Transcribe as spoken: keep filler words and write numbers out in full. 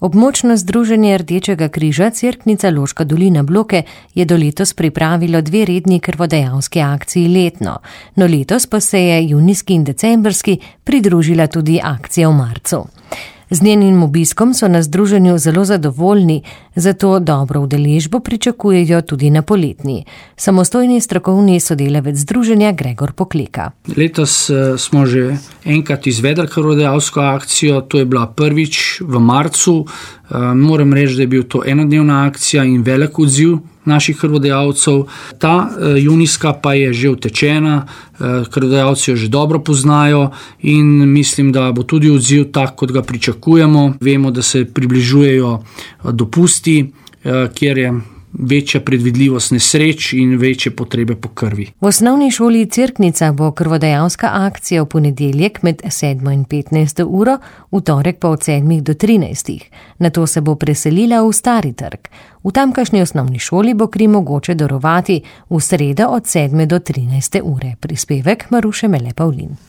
Območno združenje Rdečega križa Cerknica Loška dolina Bloke je do letos pripravilo dve redni krvodajalski akciji letno, no letos pa se je junijski in decembrski pridružila tudi akcija v marcu. Z njenim obiskom so na združenju zelo zadovoljni, zato dobro udeležbo pričakujejo tudi na poletni. Samostojni strokovni sodelavec združenja Gregor Pokleka. Letos smo že enkrat izvedli krvodajalsko akcijo, to je bila prvič v marcu. Moram reči, da je bil to enodnevna akcija in velik odziv naših krvodajalcev. Ta junijska pa je že utečena, krvodajalci jo že dobro poznajo in mislim, da bo tudi odziv tak, kot ga pričakujemo. Vemo, da se približujejo dopusti, kjer je večja predvidljivost nesreč in večje potrebe po krvi. V osnovni šoli Cerknica bo krvodajalska akcija v ponedeljek med sedmo in petnajsto uro, v torek pa od sedmih do trinajstih. Nato se bo preselila v Stari trg. V tamkajšnji osnovni šoli bo kri mogoče darovati v sredo od sedme do trinajste ure. Prispevek Maruše Mele Pavlin.